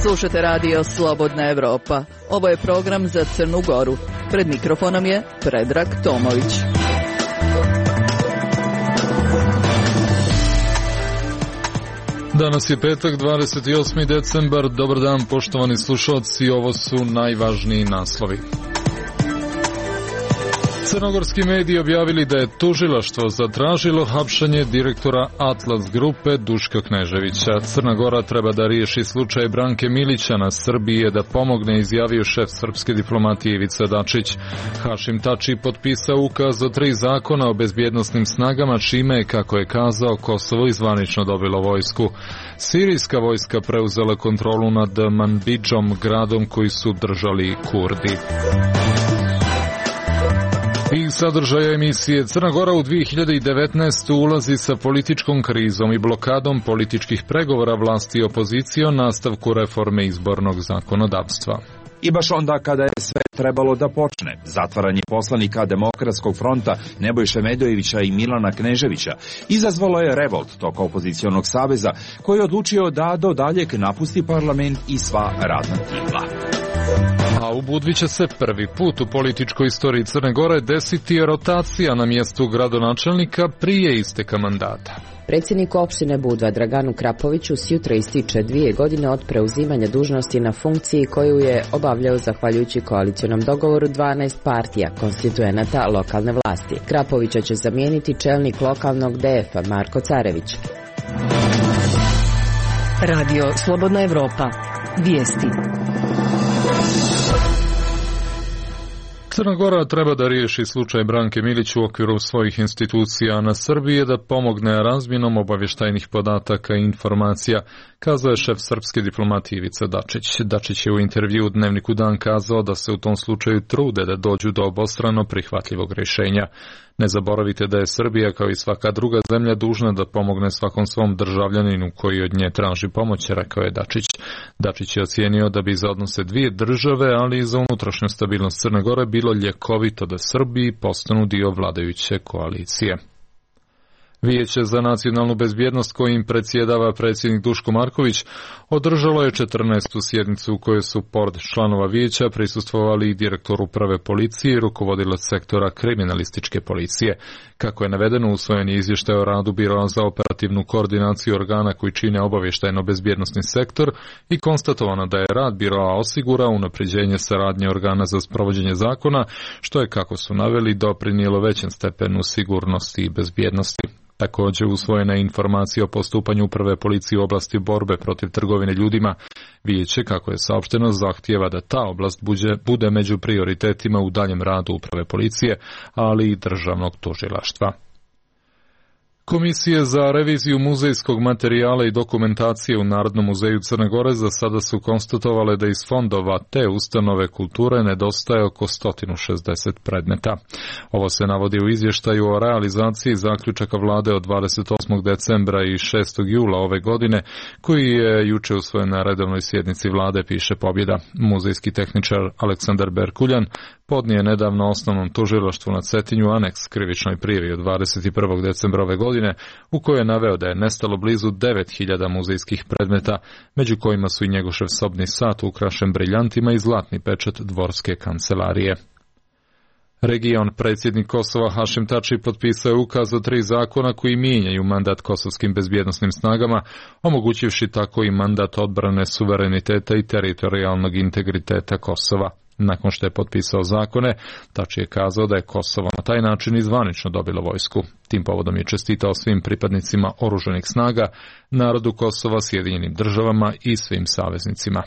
Slušate radio Slobodna Evropa. Ovo je program za Crnu Goru. Pred mikrofonom je Predrag Tomović. Danas je petak, 28. decembar. Dobar dan, poštovani slušalci. Ovo su najvažniji naslovi. Crnogorski mediji objavili da je tužilaštvo zatražilo hapšenje direktora Atlas grupe Duška Kneževića. Crna Gora treba da riješi slučaj Branke Milića, na Srbiji je da pomogne, izjavio šef srpske diplomatije Ivica Dačić. Hašim Tači potpisao ukaz o 3 zakona o bezbjednosnim snagama, čime je, kako je kazao, Kosovo izvanično dobilo vojsku. Sirijska vojska preuzela kontrolu nad Manbidžom, gradom koji su držali Kurdi. I sadržaja emisije. Crna Gora u 2019. ulazi sa političkom krizom i blokadom političkih pregovora vlasti i opozicije o nastavku reforme izbornog zakonodavstva. I baš onda kada je sve trebalo da počne, zatvaranje poslanika Demokratskog fronta Nebojše Medojevića i Milana Kneževića izazvalo je revolt tog opozicionog saveza koji je odlučio da do daljeg napusti parlament i sva radna tijela. A u Budvi će se prvi put u političkoj istoriji Crne Gore desiti rotacija na mjestu gradonačelnika prije isteka mandata. Predsjednik opštine Budva Draganu Krapoviću sjutra ističe 2 godine od preuzimanja dužnosti na funkciji koju je obavljao zahvaljujući koalicionom dogovoru 12 partija konstituenata lokalne vlasti. Krapovića će zamijeniti čelnik lokalnog DF-a Marko Carević. Radio Slobodna Evropa. Vijesti. Crna Gora treba da riješi slučaj Branke Milić u okviru svojih institucija, na Srbiji je da pomogne razmjenom obavještajnih podataka i informacija, kazao je šef srpske diplomatije Ivica Dačić. Dačić je u intervju u Dnevniku Dan kazao da se u tom slučaju trude da dođu do obostrano prihvatljivog rješenja. Ne zaboravite da je Srbija, kao i svaka druga zemlja, dužna da pomogne svakom svom državljaninu koji od nje traži pomoć, rekao je Dačić. Dačić je ocijenio da bi za odnose 2 države, ali i za unutrašnju stabilnost Crne Gore bilo ljekovito da Srbiji postanu dio vladajuće koalicije. Vijeće za nacionalnu bezbjednost kojim predsjedava predsjednik Duško Marković održalo je 14. sjednicu u kojoj su pored članova vijeća prisustvovali i direktor uprave policije i rukovodilac sektora kriminalističke policije. Kako je navedeno, usvojen je izvještaj o radu Biroa za operativnu koordinaciju organa koji čine obavještajno-bezbjednosni sektor i konstatovano da je rad Biroa osigurao unapređenje saradnje organa za sprovođenje zakona, što je, kako su naveli, doprinijelo većem stepenu sigurnosti i bezbjednosti. Također usvojena je informacija o postupanju uprave policije u oblasti borbe protiv trgovine ljudima. Vijeće, kako je saopšteno, zahtijeva da ta oblast bude među prioritetima u daljem radu uprave policije, ali i državnog tužilaštva. Komisije za reviziju muzejskog materijala i dokumentacije u Narodnom muzeju Crne Gore za sada su konstatovale da iz fondova te ustanove kulture nedostaje oko 160 predmeta. Ovo se navodi u izvještaju o realizaciji zaključaka vlade od 28. decembra i 6. jula ove godine, koji je juče usvojen na redovnoj sjednici vlade, piše Pobjeda. Muzejski tehničar Aleksandar Berkuljan podnije nedavno osnovnom tužilaštvu na Cetinju aneks krivičnoj prijavi od 21. decembra ove godine, u kojoj je naveo da je nestalo blizu 9000 muzejskih predmeta, među kojima su i Njegošev sobni sat ukrašen briljantima i zlatni pečat dvorske kancelarije. Region predsjednik Kosova Hašim Tači potpisao je ukaz o 3 zakona koji mijenjaju mandat kosovskim bezbjednosnim snagama, omogućivši tako i mandat odbrane suvereniteta i teritorijalnog integriteta Kosova. Nakon što je potpisao zakone, Tači je kazao da je Kosovo na taj način izvanično dobilo vojsku. Tim povodom je čestitao svim pripadnicima oružanih snaga, narodu Kosova, Sjedinjenim državama i svim saveznicima.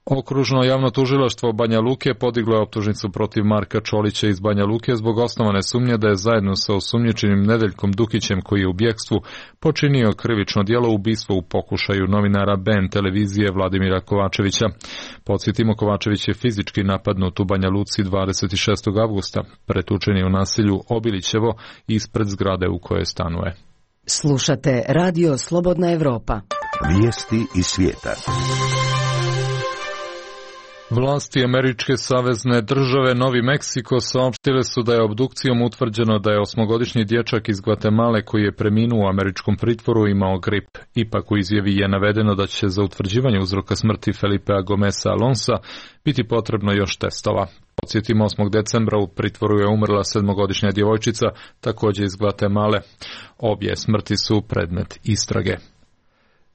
Okružno javno tužilaštvo Banja Luke podiglo je optužnicu protiv Marka Čolića iz Banja Luke zbog osnovane sumnje da je zajedno sa osumnjičenim Nedeljkom Dukićem, koji je u bjekstvu, počinio krivično djelo ubistva u pokušaju novinara BN televizije Vladimira Kovačevića. Podsjetimo, Kovačević je fizički napadnut u Banja Luci 26. avgusta, pretučen je u naselju Obilićevo ispred zgrade u kojoj stanuje. Slušate Radio Slobodna Evropa. Vijesti iz svijeta. Vlasti američke savezne države Novi Meksiko saopštile su da je obdukcijom utvrđeno da je 8-godišnji dječak iz Gvatemale koji je preminuo u američkom pritvoru imao grip. Ipak u izjavi je navedeno da će za utvrđivanje uzroka smrti Felipea Gomeza Alonsa biti potrebno još testova. Podsjetimo, 8. decembra u pritvoru je umrla 7-godišnja djevojčica, također iz Gvatemale. Obje smrti su predmet istrage.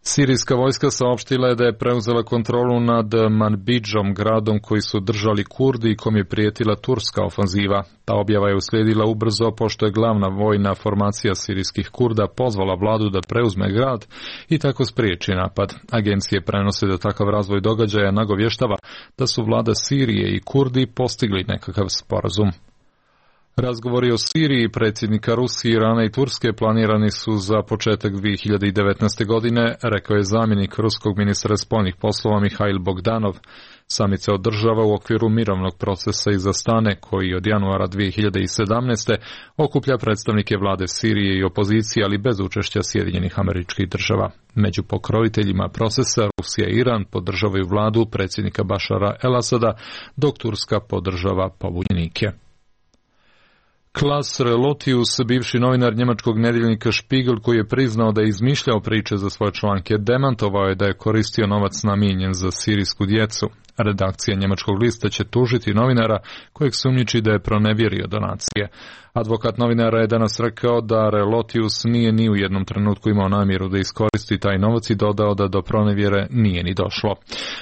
Sirijska vojska saopštila je da je preuzela kontrolu nad Manbidžom, gradom koji su držali Kurdi i kom je prijetila turska ofanziva. Ta objava je uslijedila ubrzo pošto je glavna vojna formacija sirijskih Kurda pozvala vladu da preuzme grad i tako spriječi napad. Agencije prenose da takav razvoj događaja nagovještava da su vlada Sirije i Kurdi postigli nekakav sporazum. Razgovori o Siriji predsjednika Rusije, Irana i Turske planirani su za početak 2019. godine, rekao je zamjenik ruskog ministra spoljnih poslova Mihail Bogdanov. Samit se održava u okviru mirovnog procesa iz Astane, koji od januara 2017. okuplja predstavnike vlade Sirije i opozicije, ali bez učešća Sjedinjenih Američkih Država. Među pokroviteljima procesa Rusija i Iran podržavaju vladu predsjednika Bašara el-Asada, dok Turska podržava pobunjenike. Klaas Relotius, bivši novinar njemačkog nedjeljnika Spiegel, koji je priznao da je izmišljao priče za svoje članke, demantovao je da je koristio novac namijenjen za sirijsku djecu. Redakcija njemačkog lista će tužiti novinara kojeg sumnjiči da je pronevjerio donacije. Advokat novinara je danas rekao da Relotius nije ni u jednom trenutku imao namjeru da iskoristi taj novac i dodao da do pronevjere nije ni došlo.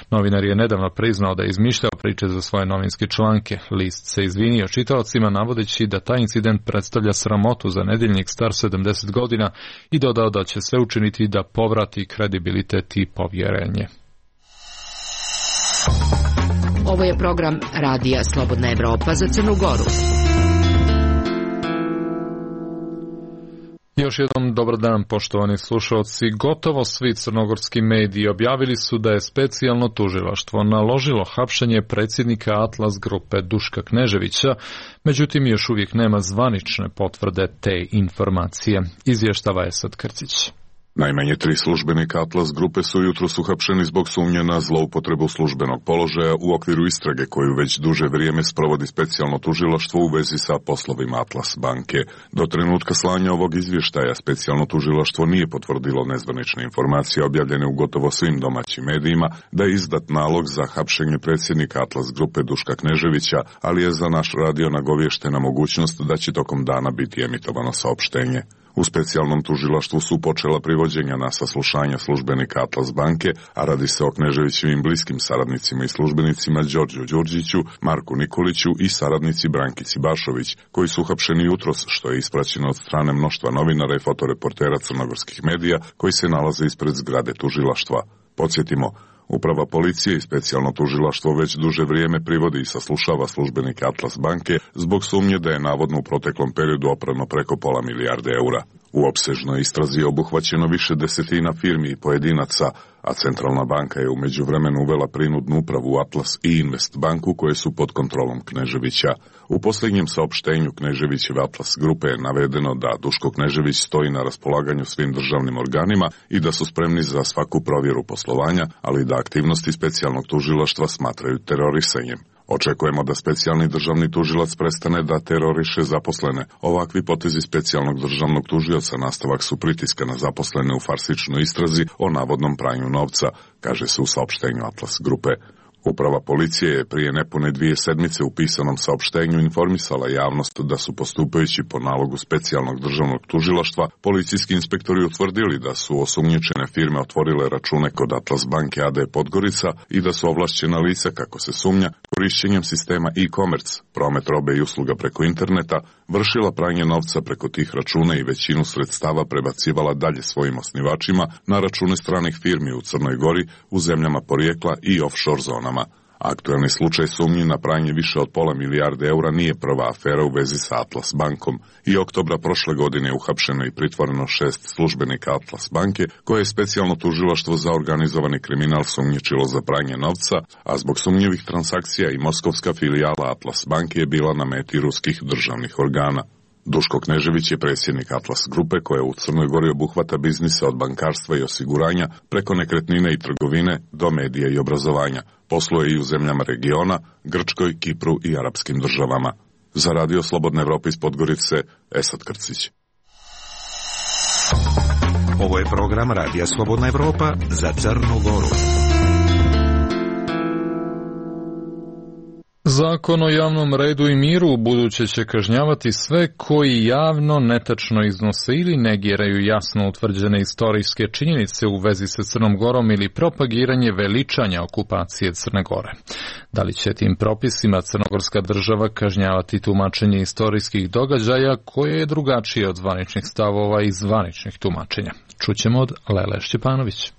Novinar je nedavno priznao da je izmišljao priče za svoje novinske članke. List se izvinio čitaocima navodeći da taj incident predstavlja sramotu za nedjeljnik star 70 godina i dodao da će sve učiniti da povrati kredibilitet i povjerenje. Ovo je program Radija Slobodna Evropa za Crnu Goru. Još jednom dobar dan, poštovani slušalci. Gotovo svi crnogorski mediji objavili su da je specijalno tužilaštvo naložilo hapšenje predsjednika Atlas grupe Duška Kneževića, međutim još uvijek nema zvanične potvrde te informacije. Izvještava Esad Krcić. Najmanje 3 službenika Atlas grupe su jutros uhapšeni zbog sumnje na zloupotrebu službenog položaja u okviru istrage koju već duže vrijeme sprovodi specijalno tužilaštvo u vezi sa poslovima Atlas banke. Do trenutka slanja ovog izvještaja specijalno tužilaštvo nije potvrdilo nezvanične informacije objavljene u gotovo svim domaćim medijima da je izdat nalog za hapšenje predsjednika Atlas grupe Duška Kneževića, ali je za naš radio nagovještena mogućnost da će tokom dana biti emitovano saopštenje. U specijalnom tužilaštvu su počela privođenja na saslušanja službenika Atlas banke, a radi se o Kneževićevim bliskim saradnicima i službenicima Đorđu Đurđiću, Marku Nikoliću i saradnici Brankici Bašović, koji su uhapšeni jutros, što je ispraćeno od strane mnoštva novinara i fotoreportera crnogorskih medija koji se nalaze ispred zgrade tužilaštva. Podsjetimo, Uprava policije i specijalno tužilaštvo već duže vrijeme privodi i saslušava službenike Atlas banke zbog sumnje da je navodno u proteklom periodu oprano preko £500 milijarde. U opsežnoj istrazi je obuhvaćeno više desetina firmi i pojedinaca, a Centralna banka je u međuvremenu uvela prinudnu upravu Atlas i Invest banku koje su pod kontrolom Kneževića. U posljednjem saopštenju Kneževićeve Atlas grupe je navedeno da Duško Knežević stoji na raspolaganju svim državnim organima i da su spremni za svaku provjeru poslovanja, ali da aktivnosti specijalnog tužilaštva smatraju terorisanjem. Očekujemo da specijalni državni tužilac prestane da teroriše zaposlene. Ovakvi potezi specijalnog državnog tužioca nastavak su pritiska na zaposlene u farsičnoj istrazi o navodnom pranju novca, kaže se u saopštenju Atlas grupe. Uprava policije je prije nepune 2 sedmice u pisanom saopštenju informisala javnost da su postupajući po nalogu specijalnog državnog tužilaštva policijski inspektori utvrdili da su osumnjičene firme otvorile račune kod Atlas banke AD Podgorica i da su ovlašćena lica, kako se sumnja, korišćenjem sistema e-commerce, promet robe i usluga preko interneta, vršila pranje novca preko tih računa i većinu sredstava prebacivala dalje svojim osnivačima na račune stranih firmi u Crnoj Gori, u zemljama porijekla i offshore zonama. Aktuelni slučaj sumnji na pranje više od £500 milijarde nije prva afera u vezi sa Atlas bankom. I oktobra prošle godine je uhapšeno i pritvoreno 6 službenika Atlas banke, koje je specijalno tužilaštvo za organizovani kriminal sumnjičilo za pranje novca, a zbog sumnjivih transakcija i moskovska filijala Atlas banke je bila na meti ruskih državnih organa. Duško Knežević je predsjednik Atlas grupe koja u Crnoj Gori obuhvata biznise od bankarstva i osiguranja preko nekretnine i trgovine do medija i obrazovanja. Posluje i u zemljama regiona, Grčkoj, Kipru i arapskim državama. Za Radio Slobodna Evropa iz Podgorice, Esad Krcić. Ovo je program Radija Slobodna Evropa za Crnu Goru. Zakon o javnom redu i miru ubuduće će kažnjavati sve koji javno, netačno iznose ili negiraju jasno utvrđene istorijske činjenice u vezi sa Crnom Gorom ili propagiranje veličanja okupacije Crne Gore. Da li će tim propisima crnogorska država kažnjavati tumačenje istorijskih događaja koje je drugačije od zvaničnih stavova i zvaničnih tumačenja? Čućemo od Lele Šćepanović.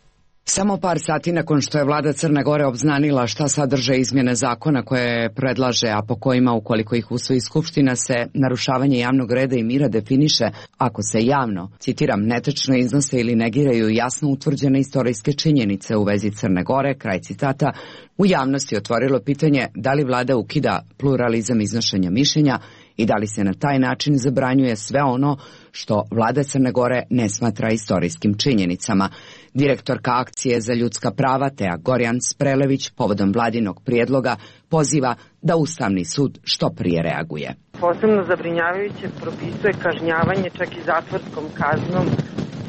Samo par sati nakon što je vlada Crne Gore obznanila šta sadrže izmjene zakona koje predlaže, a po kojima ukoliko ih usvoji Skupština se narušavanje javnog reda i mira definiše ako se javno, citiram, netačno iznose ili negiraju jasno utvrđene istorijske činjenice u vezi Crne Gore, kraj citata, u javnosti otvorilo pitanje da li vlada ukida pluralizam iznošenja mišljenja i da li se na taj način zabranjuje sve ono što vlada Crne Gore ne smatra istorijskim činjenicama. Direktorka Akcije za ljudska prava Teja Gorjan Sprelević povodom vladinog prijedloga poziva da Ustavni sud što prije reaguje. Posebno zabrinjavajuće propisuje kažnjavanje čak i zatvorskom kaznom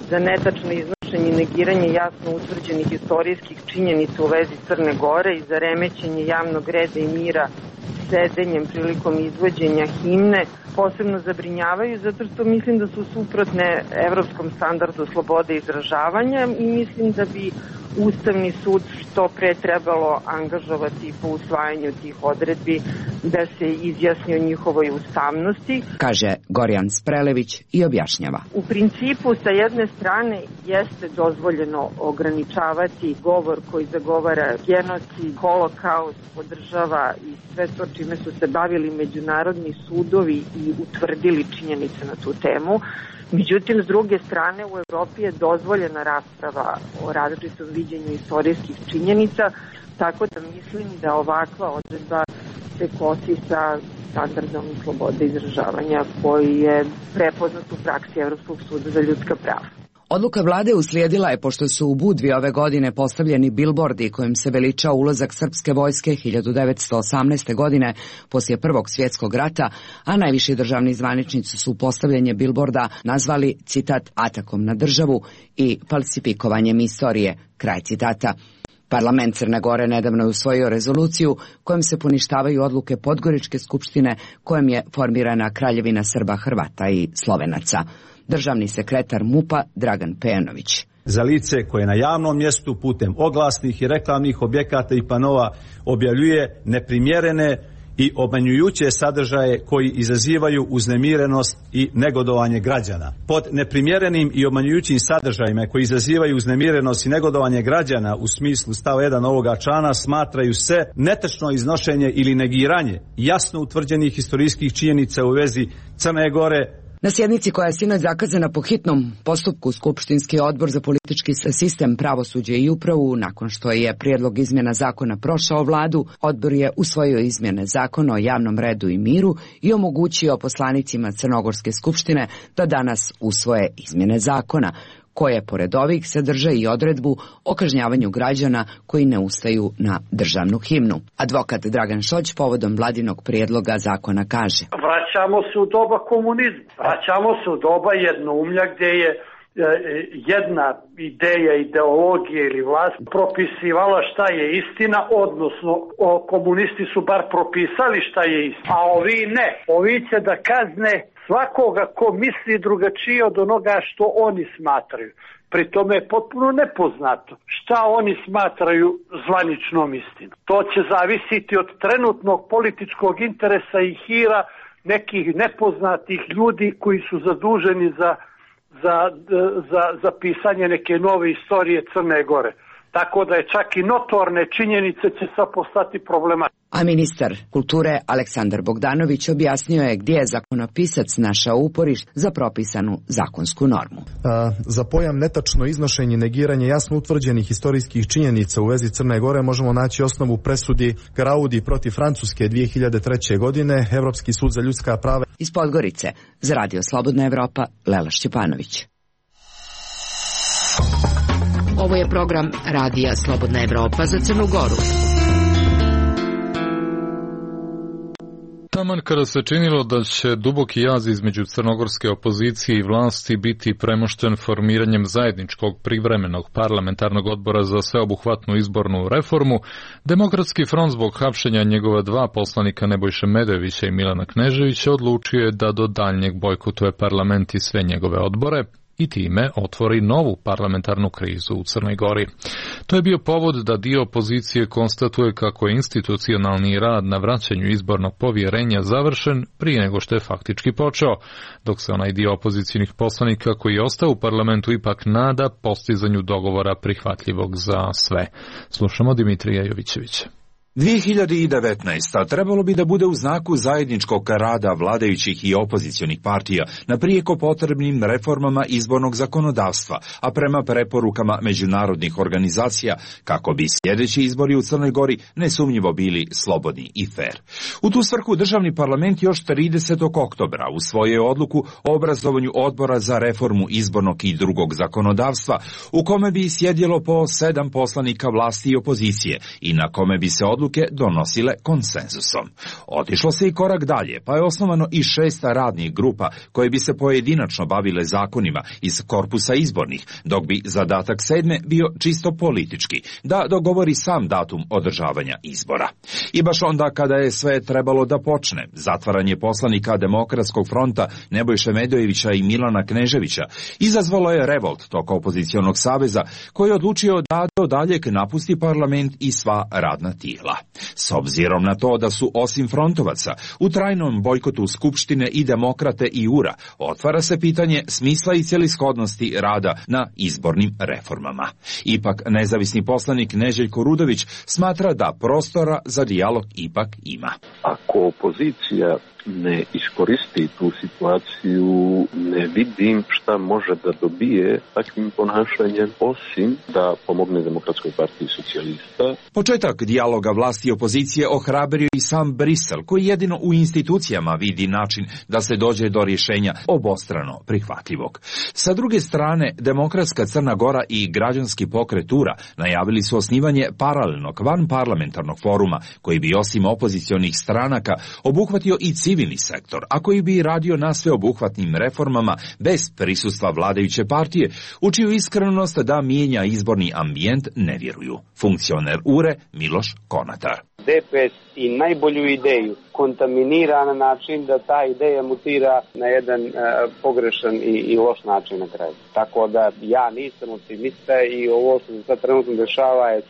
za netačno iznošenje i negiranje jasno utvrđenih istorijskih činjenica u vezi Crne Gore i za remećenje javnog reda i mira sedenjem prilikom izvođenja himne. Posebno zabrinjavaju zato što mislim da su suprotne evropskom standardu slobode izražavanja i mislim da bi Ustavni sud što pre trebalo angažovati po usvajanju tih odredbi da se izjasni o njihovoj ustavnosti, kaže Gorjan Sprelević i objašnjava. U principu sa jedne strane jeste dozvoljeno ograničavati govor koji zagovara genocid, holokaust, podržava i sve to čime su se bavili međunarodni sudovi i utvrdili činjenice na tu temu. Međutim, s druge strane, u Evropi je dozvoljena rasprava o različitom viđenju istorijskih činjenica, tako da mislim da ovakva odredba se kosi sa standardom slobode izražavanja koji je prepoznat u praksi Evropskog suda za ljudska prava. Odluka vlade uslijedila je pošto su u Budvi ove godine postavljeni bilbordi kojim se veliča ulazak srpske vojske 1918. godine poslije Prvog svjetskog rata, a najviši državni zvaničnici su postavljanje bilborda nazvali, citat, atakom na državu i falsifikovanjem istorije, kraj citata. Parlament Crne Gore nedavno je usvojio rezoluciju kojom se poništavaju odluke Podgoričke skupštine kojom je formirana Kraljevina Srba, Hrvata i Slovenaca. Državni sekretar MUP-a Dragan Pejanović. Za lice koje na javnom mjestu putem oglasnih i reklamnih objekata i panova objavljuje neprimjerene i obmanjujuće sadržaje koji izazivaju uznemirenost i negodovanje građana. Pod neprimjerenim i obmanjujućim sadržajima koji izazivaju uznemirenost i negodovanje građana u smislu stava 1 ovoga člana smatraju se netačno iznošenje ili negiranje jasno utvrđenih historijskih činjenica u vezi Crne Gore. Na sjednici koja je sinoć zakazana po hitnom postupku Skupštinski odbor za politički sistem, pravosuđe i upravu, nakon što je prijedlog izmjena zakona prošao vladu, odbor je usvojio izmjene zakona o javnom redu i miru i omogućio poslanicima Crnogorske skupštine da danas usvoje izmjene zakona, koje pored ovih sadrže i odredbu o kažnjavanju građana koji ne ustaju na državnu himnu. Advokat Dragan Šoć povodom vladinog prijedloga zakona kaže: Vraćamo se u doba komunizma, vraćamo se u doba jednoumlja gdje je jedna ideja, ideologija ili vlast propisivala šta je istina, odnosno komunisti su bar propisali šta je istina, a ovi ne. Ovi će da kazne svakoga ko misli drugačije od onoga što oni smatraju. Pri tome je potpuno nepoznato šta oni smatraju zvaničnom istinom. To će zavisiti od trenutnog političkog interesa i hira nekih nepoznatih ljudi koji su zaduženi za pisanje neke nove istorije Crne Gore. tako da je čak i notorne činjenice će sad postati problematične. A ministar kulture Aleksandar Bogdanović objasnio je gdje je zakonopisac našao uporište za propisanu zakonsku normu. Za pojam netačno iznošenje i negiranje jasno utvrđenih historijskih činjenica u vezi Crne Gore možemo naći osnovu presudi Graudi protiv Francuske 2003. godine, Evropski sud za ljudska prava. Iz Podgorice, za Radio Slobodna Evropa, Lela Šćepanović. Ovo je program Radija Slobodna Evropa za Crnu Goru. Taman kada se činilo da će duboki jaz između crnogorske opozicije i vlasti biti premošten formiranjem zajedničkog privremenog parlamentarnog odbora za sveobuhvatnu izbornu reformu, Demokratski front zbog hapšenja njegova dva poslanika Nebojše Medojevića i Milana Kneževića odlučio je da do daljnjeg bojkotuje parlament i sve njegove odbore i time otvori novu parlamentarnu krizu u Crnoj Gori. To je bio povod da dio opozicije konstatuje kako je institucionalni rad na vraćanju izbornog povjerenja završen prije nego što je faktički počeo, dok se onaj dio opozicijnih poslanika koji je ostao u parlamentu ipak nada postizanju dogovora prihvatljivog za sve. Slušamo Dimitrija Jovićevića. 2019. trebalo bi da bude u znaku zajedničkog rada vladajućih i opozicionih partija na prijeko potrebnim reformama izbornog zakonodavstva, a prema preporukama međunarodnih organizacija, kako bi sljedeći izbori u Crnoj Gori nesumnjivo bili slobodni i fer. U tu svrhu državni parlament još 30. oktobra usvojio odluku o obrazovanju odbora za reformu izbornog i drugog zakonodavstva, u kome bi sjedjelo po 7 poslanika vlasti i opozicije i na kome bi se odluke donosile konsenzusom. Otišlo se i korak dalje, pa je osnovano i 6 radnih grupa koje bi se pojedinačno bavile zakonima iz korpusa izbornih, dok bi zadatak 7. bio čisto politički, da dogovori sam datum održavanja izbora. I baš onda kada je sve trebalo da počne, zatvaranje poslanika Demokratskog fronta Nebojše Medojevića i Milana Kneževića izazvalo je revolt tog opozicionog saveza koji je odlučio da do daljeg napusti parlament i sva radna tijela. S obzirom na to da su osim frontovaca u trajnom bojkotu Skupštine i Demokrate i URA, otvara se pitanje smisla i celishodnosti rada na izbornim reformama. Ipak nezavisni poslanik Neželjko Rudović smatra da prostora za dijalog ipak ima. Ako opozicija ne iskoristi tu situaciju, ne vidim šta može da dobije takvim ponašanjem, osim da pomogne Demokratskoj partiji socijalista. Početak dijaloga vlasti i opozicije ohrabrio i sam Brisel, koji jedino u institucijama vidi način da se dođe do rješenja obostrano prihvatljivog. Sa druge strane, Demokratska Crna Gora i građanski pokret URA najavili su osnivanje paralelnog vanparlamentarnog foruma, koji bi osim opozicionih stranaka obuhvatio i civilni sektor, a koji bi radio na sveobuhvatnim reformama bez prisustva vladajuće partije, u čiju iskrenost da mijenja izborni ambijent ne vjeruju. Funkcioner URE Miloš Konatar. DPS i najbolju ideju kontaminira na način da ta ideja mutira na jedan pogrešan i loš način na kraju. Tako da ja nisam optimista i ovo što se sad trenutno dešava je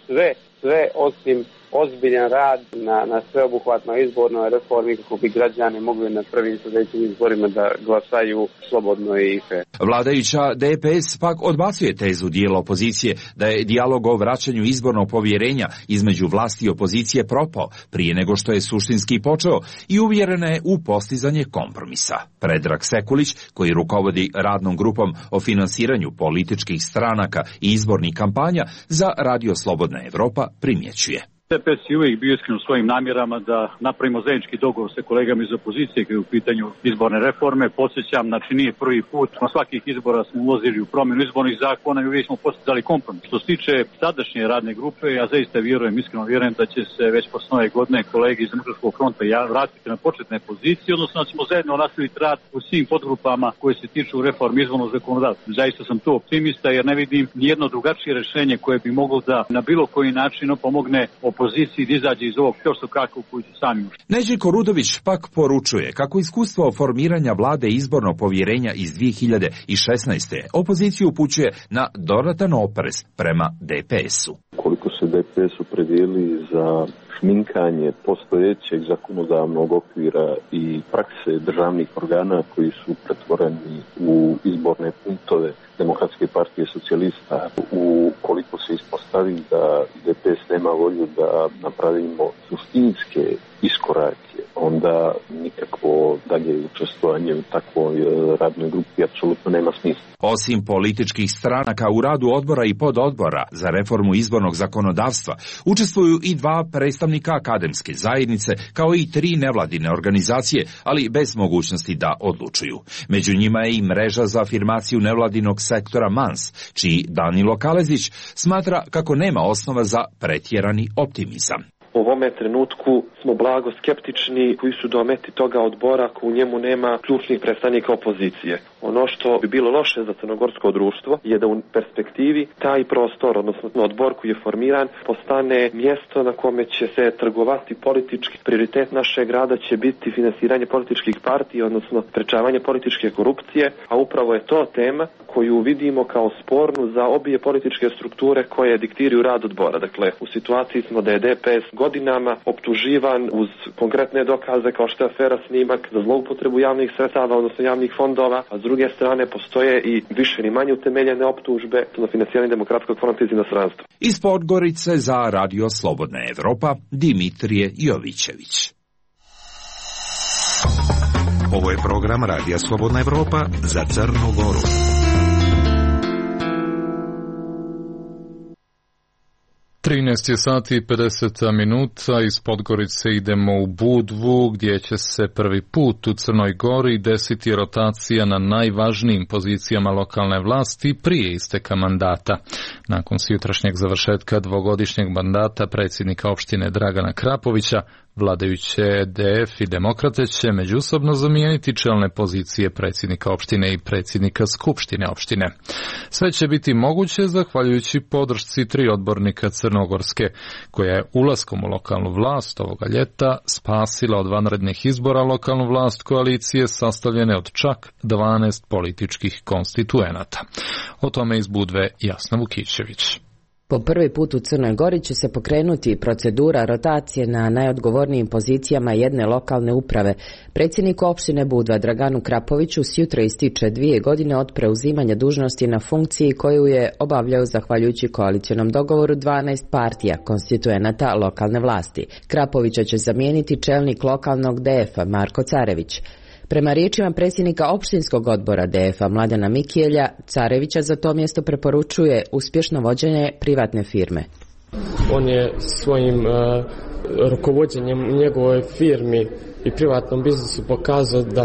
sve osim ozbiljan rad na sveobuhvatnoj izbornoj reformi kako bi građani mogli na prvim sljedećim izborima da glasaju slobodno i fer. Vladajuća DPS pak odbacuje tezu dijela opozicije da je dijalog o vraćanju izbornog povjerenja između vlasti i opozicije propao prije nego što je suštinski počeo i uvjerena je u postizanje kompromisa. Predrag Sekulić, koji rukovodi radnom grupom o finansiranju političkih stranaka i izbornih kampanja za Radio Slobodna Evropa, primjećuje. DPS je uvijek bio iskren u svojim namjerama da napravimo zajednički dogovor sa kolegama iz opozicije koji je u pitanju izborne reforme. Podsjećam, znači nije prvi put, na svakih izbora smo ulazili u promjenu izbornih zakona i uvijek smo postizali kompromis. Što se tiče sadašnje radne grupe, ja zaista iskreno vjerujem da će se već posle nove godine kolege iz Demokratskog fronta vratiti na početne pozicije, odnosno da ćemo zajedno nastaviti rad u svim podgrupama koje se tiču reforme izbornog zakonodavstva. Zaista sam tu optimista jer ne vidim nijedno drugačije rješenje koje bi moglo da na bilo koji način pomogne opoziciji da izađe iz ovog kako koji su sami ušli. Neželjko Rudović pak poručuje kako iskustvo formiranja vlade izbornog povjerenja iz 2016. opoziciju upućuje na dodatan oprez prema DPS-u. Koliko se DPS opredijeli za šminkanje postojećeg zakonodavnog okvira i prakse državnih organa koji su pretvoreni u izborne punktove Demokratske partije socijalista. Ukoliko se ispostavi da DPS nema volju da napravimo suštinske iskorake, onda nikakvo dalje učestvovanje u takvoj radnoj grupi apsolutno nema smisla. Osim političkih stranaka u radu odbora i pododbora za reformu izbornog zakonodavstva, učestvuju i 2 predstavnika akademske zajednice, kao i 3 nevladine organizacije, ali bez mogućnosti da odlučuju. Među njima je i mreža za afirmaciju nevladinog sektora MANS, čiji Danilo Kalezić smatra kako nema osnova za pretjerani optimizam. U ovome trenutku smo blago skeptični koji su dometi toga odbora ako u njemu nema ključnih predstavnika opozicije. Ono što bi bilo loše za crnogorsko društvo je da u perspektivi taj prostor, odnosno odbor koji je formiran, postane mjesto na kome će se trgovati politički. Prioritet našeg rada će biti finansiranje političkih partija, odnosno sprečavanje političke korupcije, a upravo je to tema koju vidimo kao spornu za obje političke strukture koje diktiraju rad odbora. Dakle, u situaciji smo da je DPS godinama optuživan uz konkretne dokaze kao što je afera Snimak za zloupotrebu javnih sredstava, odnosno javnih fondova, a s druge strane postoje i više ni manje utemeljene optužbe na finansiranje Demokratskog fronta iz inostranstva. Iz Podgorice za Radio Slobodna Evropa, Dimitrije Jovićević. Ovo je program Radija Slobodna Evropa za Crnu Goru. 13 sati i 50 minuta, iz Podgorice idemo u Budvu, gdje će se prvi put u Crnoj Gori desiti rotacija na najvažnijim pozicijama lokalne vlasti prije isteka mandata. Nakon sutrašnjeg završetka dvogodišnjeg mandata predsjednika opštine Dragana Krapovića, vladajuće DF i Demokrate će međusobno zamijeniti čelne pozicije predsjednika opštine i predsjednika skupštine opštine. Sve će biti moguće zahvaljujući podršci 3 odbornika Crnogorske, koja je ulaskom u lokalnu vlast ovoga ljeta spasila od vanrednih izbora lokalnu vlast koalicije sastavljene od čak 12 političkih konstituenata. O tome iz Budve Jasna Vukićević. Po prvi put u Crnoj Gori će se pokrenuti procedura rotacije na najodgovornijim pozicijama jedne lokalne uprave. Predsjedniku opštine Budva Draganu Krapoviću sjutra ističe 2 godine od preuzimanja dužnosti na funkciji koju je obavljao zahvaljujući koalicionom dogovoru 12 partija konstituenata lokalne vlasti. Krapovića će zamijeniti čelnik lokalnog DF-a Marko Carević. Prema riječima predsjednika opštinskog odbora DF-a Mladena Mikijelja, Carevića za to mjesto preporučuje uspješno vođenje privatne firme. On je svojim rukovođenjem u njegovoj firmi i privatnom biznisu pokazao da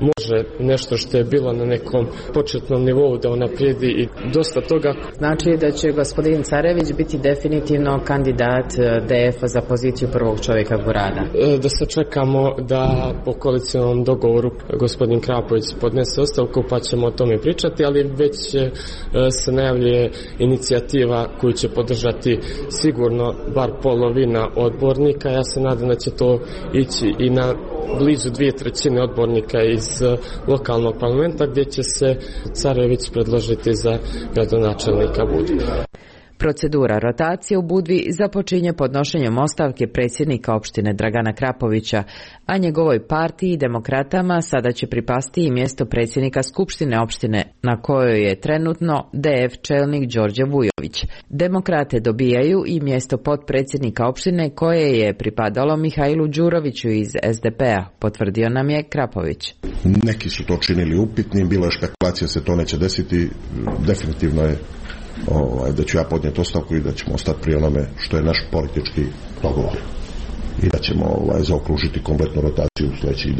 može nešto što je bilo na nekom početnom nivou da unaprijedi i dosta toga. Znači da će gospodin Carević biti definitivno kandidat DF-a za poziciju prvog čovjeka Gorada. Da se čekamo da po koalicionom dogovoru gospodin Krapović podnese ostavku pa ćemo o tome pričati, ali već se najavljuje inicijativa koju će podržati sigurno bar polovina odbornika. Ja se nadam da će to ići i na blizu 2/3 odbornika iz lokalnog parlamenta, gdje će se Carević predložiti za gradonačelnika Budve. Procedura rotacije u Budvi započinje podnošenjem ostavke predsjednika opštine Dragana Krapovića, a njegovoj partiji Demokratama sada će pripasti i mjesto predsjednika skupštine opštine, na kojoj je trenutno DF čelnik Đorđe Vujović. Demokrate dobijaju i mjesto potpredsjednika opštine koje je pripadalo Mihajlu Đuroviću iz SDP-a, potvrdio nam je Krapović. Neki su to činili upitnim, bilo je špekulacija se to neće desiti, definitivno je da ću ja podnijeti ostavku i da ćemo ostati pri onome što je naš politički dogovor i da ćemo zaokružiti kompletnu rotaciju u sljedećih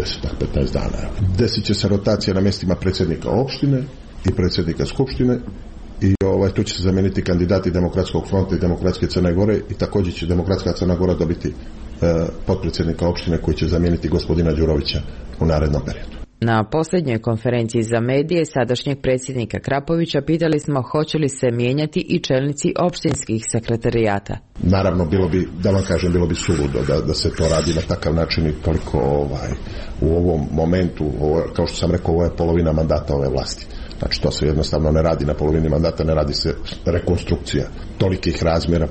10-15 dana. Desit će se rotacija na mjestima predsjednika opštine i predsjednika skupštine i tu će se zamijeniti kandidati Demokratskog fronta i Demokratske Crne Gore i također će Demokratska Crna Gora dobiti potpredsjednika opštine koji će zamijeniti gospodina Đurovića u narednom periodu. Na posljednjoj konferenciji za medije sadašnjeg predsjednika Krapovića pitali smo hoće li se mijenjati i čelnici opštinskih sekretarijata. Naravno, bilo bi suludo da se to radi na takav način i toliko u ovom momentu, kao što sam rekao, ovo je polovina mandata ove vlasti. Znači, to se jednostavno ne radi na polovini mandata, ne radi se rekonstrukcija tolikih razmjera.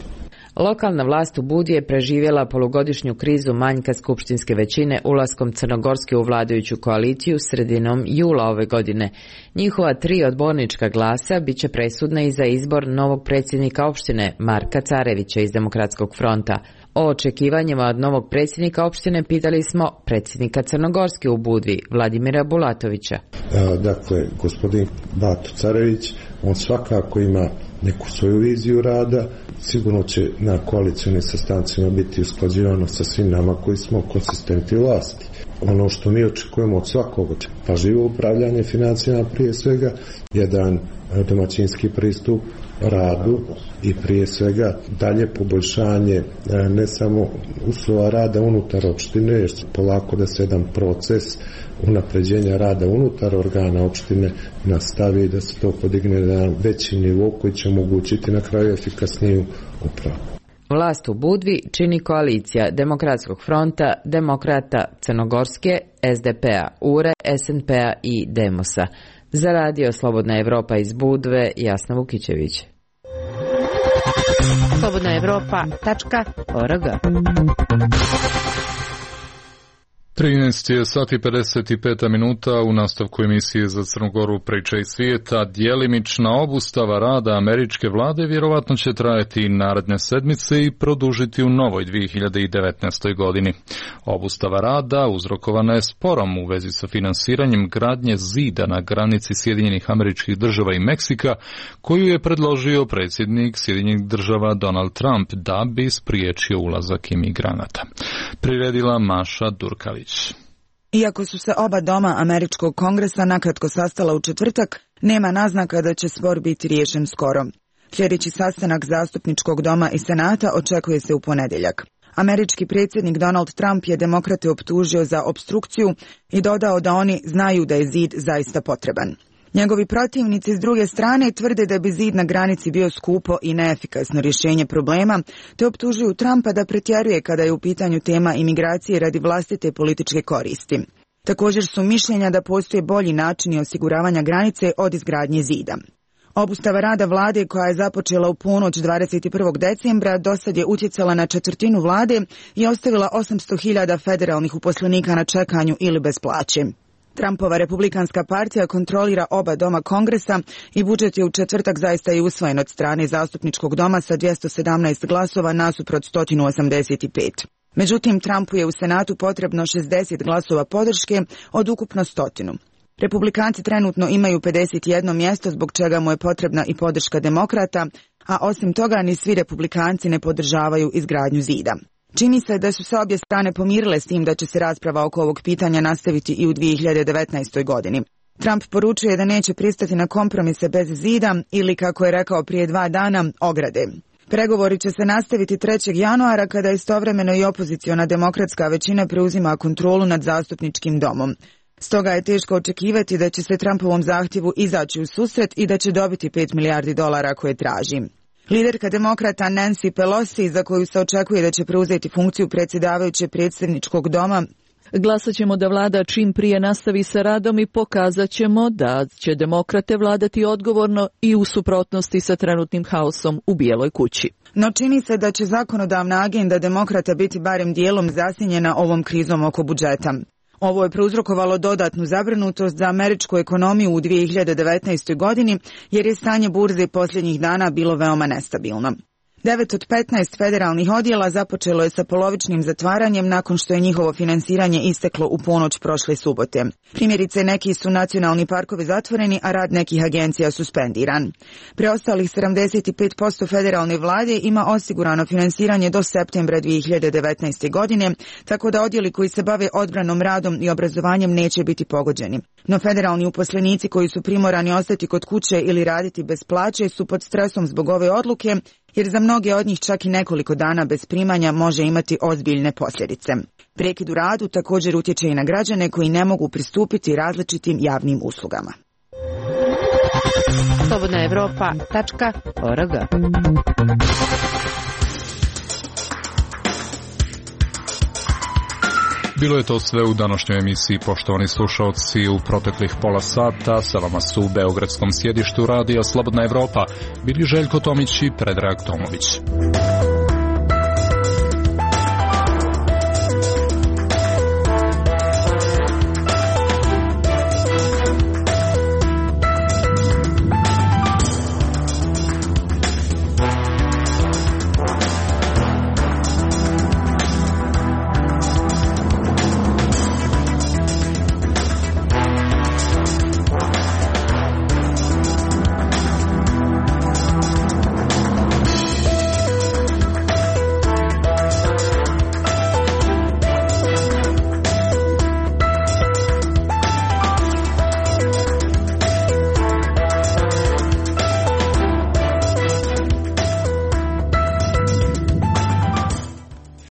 Lokalna vlast u Budvi je preživjela polugodišnju krizu manjka skupštinske većine ulaskom Crnogorske u vladajuću koaliciju sredinom jula ove godine. Njihova 3 odbornička glasa bit će presudna i za izbor novog predsjednika opštine Marka Carevića iz Demokratskog fronta. O očekivanjima od novog predsjednika opštine pitali smo predsjednika Crnogorske u Budvi, Vladimira Bulatovića. Dakle, gospodin Bato Carević, on svakako ima neku svoju viziju rada, sigurno će na koalicionim sastancima biti usklađivano sa svim nama koji smo konsistenti vlasti. Ono što mi očekujemo od svakog, pažljivo upravljanje financijama prije svega, jedan domaćinski pristup radu i prije svega dalje poboljšanje ne samo uslova rada unutar opštine, jer će polako da se jedan proces unapređenja rada unutar organa opštine nastavi i da se to podigne na veći nivo koji će omogućiti na kraju efikasniju upravu. Vlast u Budvi čini koalicija Demokratskog fronta, Demokrata Crnogorske, SDP-a, URE, SNP-a i Demosa. Za radio Slobodna Evropa iz Budve, Jasna Vukićević. slobodnaevropa.org 13 je sati 55 minuta. U nastavku emisije za Crnu Goru priča iz svijeta. Djelimična obustava rada američke vlade vjerovatno će trajati i naredne sedmice i produžiti u novoj 2019. godini. Obustava rada uzrokovana je sporom u vezi sa finansiranjem gradnje zida na granici Sjedinjenih Američkih Država i Meksika, koju je predložio predsjednik Sjedinjenih Država Donald Trump da bi spriječio ulazak imigranata. Priredila Maša Durkalić. Iako su se oba doma Američkog kongresa nakratko sastala u četvrtak, nema naznaka da će spor biti riješen skoro. Sljedeći sastanak zastupničkog doma i senata očekuje se u ponedjeljak. Američki predsjednik Donald Trump je demokrate optužio za opstrukciju i dodao da oni znaju da je zid zaista potreban. Njegovi protivnici s druge strane tvrde da bi zid na granici bio skupo i neefikasno rješenje problema, te optužuju Trumpa da pretjeruje kada je u pitanju tema imigracije radi vlastite političke koristi. Također su mišljenja da postoje bolji načini osiguravanja granice od izgradnje zida. Obustava rada vlade koja je započela u ponoć 21. decembra dosad je utjecala na četvrtinu vlade i ostavila 800.000 federalnih uposlenika na čekanju ili bez plaće. Trumpova republikanska partija kontrolira oba doma kongresa i budžet je u četvrtak zaista i usvojen od strane zastupničkog doma sa 217 glasova nasuprot 185. Međutim, Trumpu je u Senatu potrebno 60 glasova podrške od ukupno 100. Republikanci trenutno imaju 51 mjesto zbog čega mu je potrebna i podrška demokrata, a osim toga ni svi republikanci ne podržavaju izgradnju zida. Čini se da su se obje strane pomirile s tim da će se rasprava oko ovog pitanja nastaviti i u 2019. godini. Trump poručuje da neće pristati na kompromise bez zida ili, kako je rekao prije 2 dana, ograde. Pregovori će se nastaviti 3. januara kada istovremeno i opoziciona demokratska većina preuzima kontrolu nad zastupničkim domom. Stoga je teško očekivati da će se Trumpovom zahtjevu izaći u susret i da će dobiti $5 milijardi koje traži. Liderka demokrata Nancy Pelosi, za koju se očekuje da će preuzeti funkciju predsjedavajuće predsjedničkog doma, glasat ćemo da vlada čim prije nastavi sa radom i pokazat ćemo da će demokrate vladati odgovorno i u suprotnosti sa trenutnim haosom u Bijeloj kući. No čini se da će zakonodavna agenda demokrata biti barem dijelom zasjenjena ovom krizom oko budžeta. Ovo je prouzrokovalo dodatnu zabrinutost za američku ekonomiju u 2019. godini jer je stanje burze posljednjih dana bilo veoma nestabilno. 9 od 15 federalnih odjela započelo je sa polovičnim zatvaranjem nakon što je njihovo finansiranje isteklo u ponoć prošle subote. Primjerice, neki su nacionalni parkovi zatvoreni, a rad nekih agencija suspendiran. Preostalih 75% federalne vlade ima osigurano finansiranje do septembra 2019. godine, tako da odjeli koji se bave odbranom, radom i obrazovanjem neće biti pogođeni. No federalni uposlenici koji su primorani ostati kod kuće ili raditi bez plaće su pod stresom zbog ove odluke, jer za mnoge od njih čak i nekoliko dana bez primanja može imati ozbiljne posljedice. Prekid u radu također utječe i na građane koji ne mogu pristupiti različitim javnim uslugama. slobodnaevropa.org Bilo je to sve u današnjoj emisiji, poštovani slušalci. U proteklih pola sata sa vama su u beogradskom sjedištu radija Slobodna Evropa bili Željko Tomić i Predrag Tomović.